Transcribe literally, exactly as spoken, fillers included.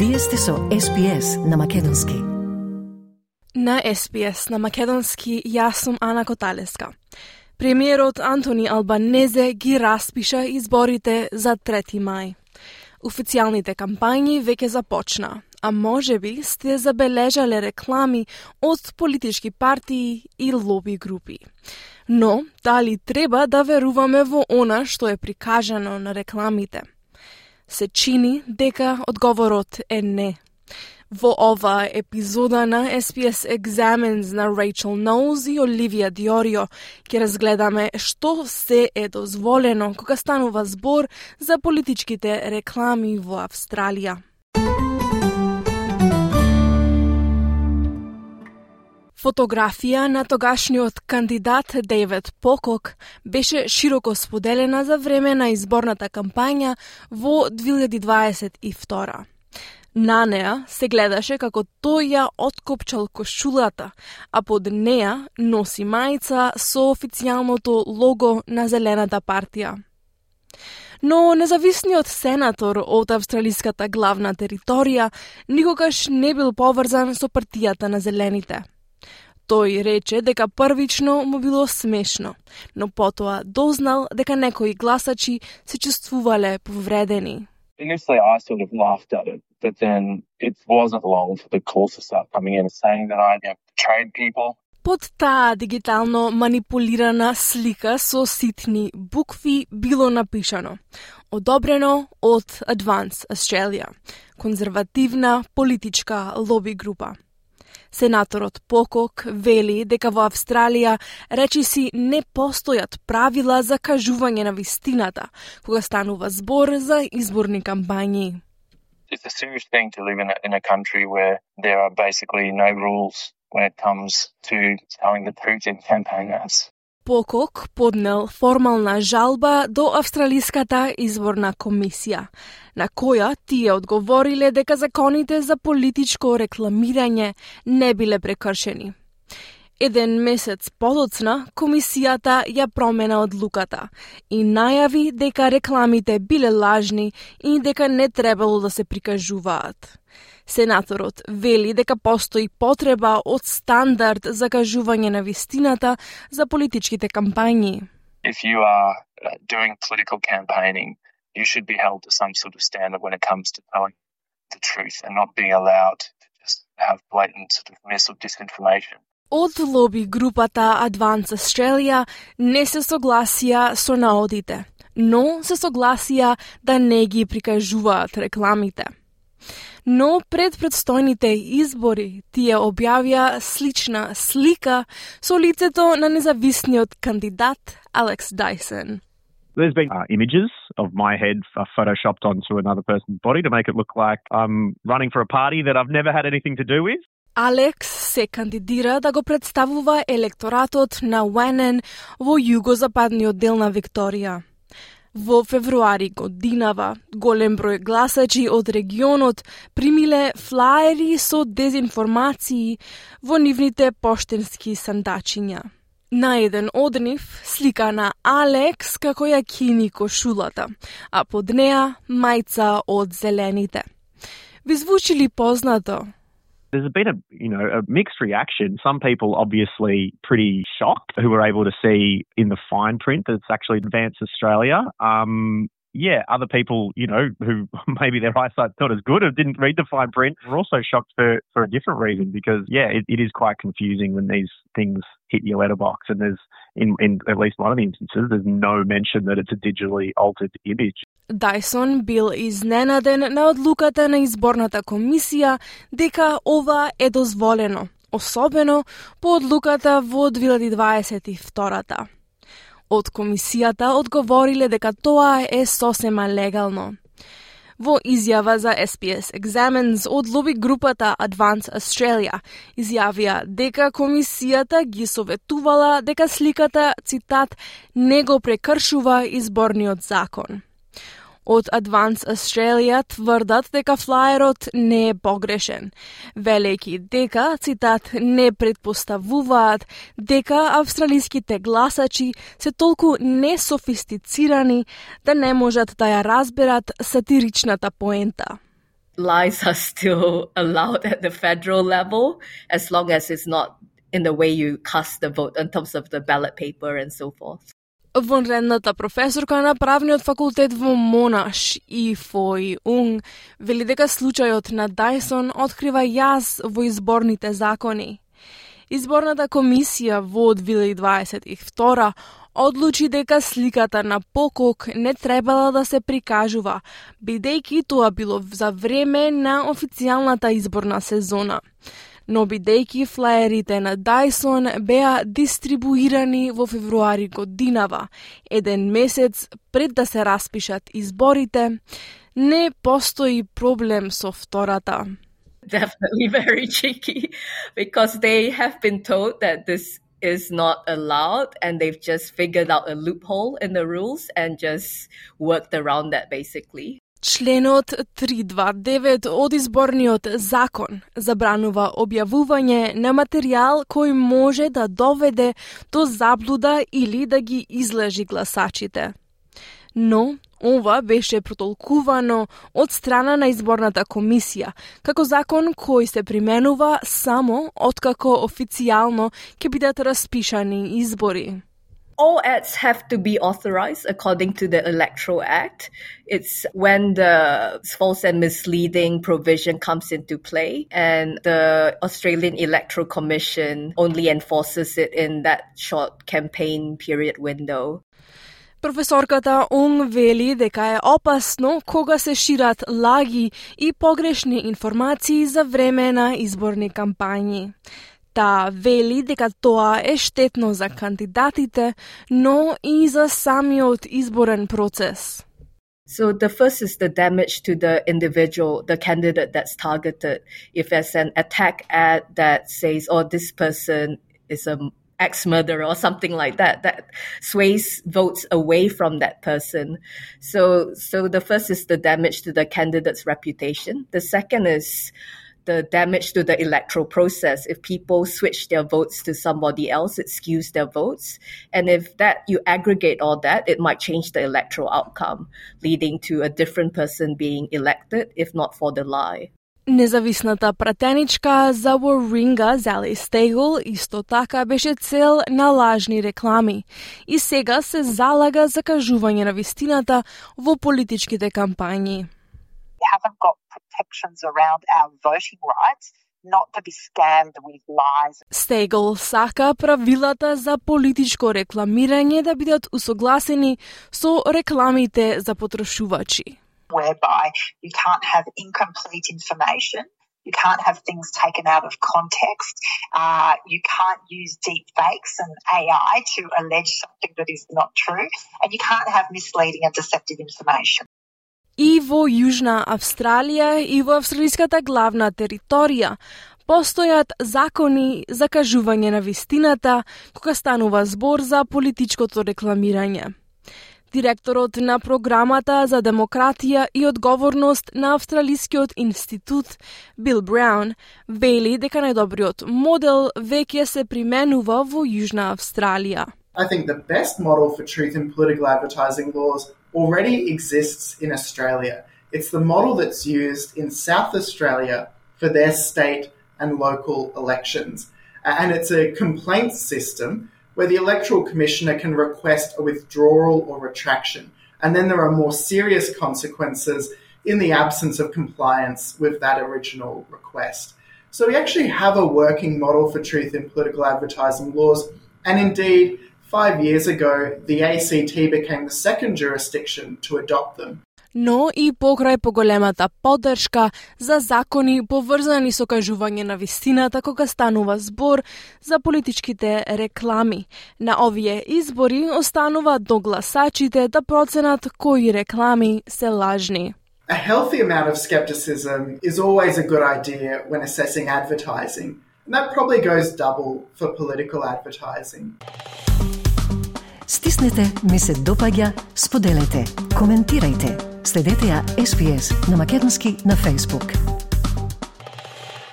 Вие сте со Ес Би Ес на Македонски. На Ес Би Ес на Македонски јас сум Ана Коталеска. Премиерот Антони Албанезе ги распиша изборите за трети мај. Официјалните кампањи веќе започна, а можеби сте забележале реклами од политички партии и лоби групи. Но, дали треба да веруваме во она што е прикажано на рекламите? Се чини дека одговорот е не. Во оваа епизода на Ес Би Ес Examines на Рейчел Ноуз и Оливија Диорио ќе разгледаме што се е дозволено кога станува збор за политичките реклами во Австралија. Фотографија на тогашниот кандидат Дейвид Покок беше широко споделена за време на изборната кампања во две илјади дваесет и втора. На неа се гледаше како тој ја откопчал кошулата, а под неа носи мајца со официјалното лого на Зелената партија. Но независниот сенатор од австралиската главна територија никогаш не бил поврзан со партијата на Зелените. Тој рече дека првично му било смешно, но потоа дознал дека некои гласачи се чувствувале повредени. Initially, I sort of laughed at it, but then it wasn't long for the calls to start coming in saying that I, you know, betrayed people. Под таа дигитално манипулирана слика со ситни букви било напишано: одобрено од Advance Australia, конзервативна политичка лоби група. Сенаторот Покок вели дека во Австралија речиси не постојат правила за кажување на вистината кога станува збор за изборни кампањи. It's a serious thing to live in a, in a country where there are basically no rules when it comes to telling the truth in campaign ads. Покок поднел формална жалба до Австралиската изборна комисија, на која тие одговориле дека законите за политичко рекламирање не биле прекршени. Еден месец подоцна, комисијата ја промена одлуката и најави дека рекламите биле лажни и дека не требало да се прикажуваат. Сенаторот вели дека постои потреба од стандард за кажување на вистината за политичките кампањи. If you are uh, doing political campaigning, you should be held to some sort of standard when it comes to telling the truth and not being allowed to just have blatant sort of mis or disinformation. Од лоби групата Advance Australia не се согласија со наодите, но се согласија да не ги прикажуваат рекламите. Но пред предстојните избори тие објавија слична слика со лицето на независниот кандидат Алекс Дайсон. There's been uh, images of my head uh, photoshopped onto another person's body to make it look like I'm running for a party that I've never had anything to do with. Алекс се кандидира да го представува електоратот на Wannon во југозападниот дел на Викторија. Во февруари годинава, голем број гласачи од регионот примиле флаери со дезинформации во нивните поштенски сандачиња. На еден од нив слика на Алекс како ја кини кошулата, а под неа мајца од Зелените. Ви звучи ли познато? There's been a, you know, a mixed reaction. Some people obviously pretty shocked who were able to see in the fine print that it's actually Advance Australia. Um, yeah, other people, you know, who maybe their eyesight's not as good or didn't read the fine print were also shocked for, for a different reason because, yeah, it, it is quite confusing when these things hit your letterbox and there's, in, in at least one of the instances, there's no mention that it's a digitally altered image. Дайсон бил изненаден на одлуката на изборната комисија дека ова е дозволено, особено по одлуката во две илјади дваесет и втора. Од комисијата одговориле дека тоа е сосема легално. Во изјава за Ес Би Ес Examines од лоби групата Advance Australia изјавија дека комисијата ги советувала дека сликата, цитат, не го прекршува изборниот закон. Од Advance Australia тврдат дека флаерот не е погрешен, велејќи дека, цитат, не предпоставуваат дека австралиските гласачи се толку несофистицирани да не можат да ја разберат сатиричната поента. lies are still allowed at the federal level, as long as it's not in the way you cast the vote in terms of the ballot paper and so forth. Вонредната професорка на правниот факултет во Монаш и Фои Унг вели дека случајот на Дайсон открива јаз во изборните закони. Изборната комисија во две илјади дваесет и втора одлучи дека сликата на покок не требала да се прикажува, бидејќи тоа било за време на официјалната изборна сезона. Но бидејќи флаерите на Дайсон беа дистрибуирани во февруари годинава, еден месец пред да се распишат изборите, не постои проблем со втората. Definitely very tricky, because they have been told that this is not allowed and they've just figured out a loophole in the rules and just worked around that basically. Членот триста дваесет и девет од изборниот закон забранува објавување на материјал кој може да доведе до заблуда или да ги излажи гласачите. Но ова беше протолкувано од страна на изборната комисија како закон кој се применува само откако официјално ќе бидат распишани избори. All ads have to be authorized according to the Electoral Act. It's when the false and misleading provision comes into play, and the Australian Electoral Commission only enforces it in that short campaign period window. Професорката Унг вели дека е опасно кога се шират лаги и погрешни информации за време на изборни кампањи. Та вели дека тоа е штетно за кандидатите, но и за самиот изборен процес. So the first is the damage to the individual, the candidate that's targeted. If there's an attack ad that says, oh, this person is a ex-murderer or something like that, that sways votes away from that person. So, so the first is the damage to the candidate's reputation. The second is the damage to the electoral process. If people switch their votes to somebody else, it skews their votes. And if that you aggregate all that, it might change the electoral outcome, leading to a different person being elected, if not for the lie. Независната пратеничка за Warringah, Zali Steggall, исто така беше цел на лажни реклами и сега се залага за кажување на вистината во политичките кампањи. We haven't got protections around our voting rights not to be scammed with lies. Steggall сака правилата за политичко рекламирање да бидат усогласени со рекламите за потрошувачи. Whereby you can't have incomplete information, you can't have things taken out of context, uh, you can't use deep fakes and A I to allege something that is not true, and you can't have misleading and deceptive information. И во Јужна Австралија и во австралиската главна територија постојат закони за кажување на вистината кога станува збор за политичкото рекламирање. Директорот на програмата за демократија и одговорност на Австралискиот институт Бил Браун вели дека најдобриот модел веќе се применува во Јужна Австралија. I think the best model for truth in political advertising laws already exists in Australia. It's the model that's used in South Australia for their state and local elections. And it's a complaints system where the Electoral Commissioner can request a withdrawal or retraction. And then there are more serious consequences in the absence of compliance with that original request. So we actually have a working model for truth in political advertising laws. And indeed, five years ago, the A C T became the second jurisdiction to adopt them. Но и покрај поголемата поддршка за закони поврзани со кажување на вистината кога станува збор за политичките реклами. На овие избори останува до гласачите да проценат кои реклами се лажни. A healthy amount of skepticism is always a good idea when assessing advertising. And that probably goes double for political advertising. Стиснете, ми се допаѓа, споделете, коментирајте. Следете ја Ес Би Ес на македонски на Facebook.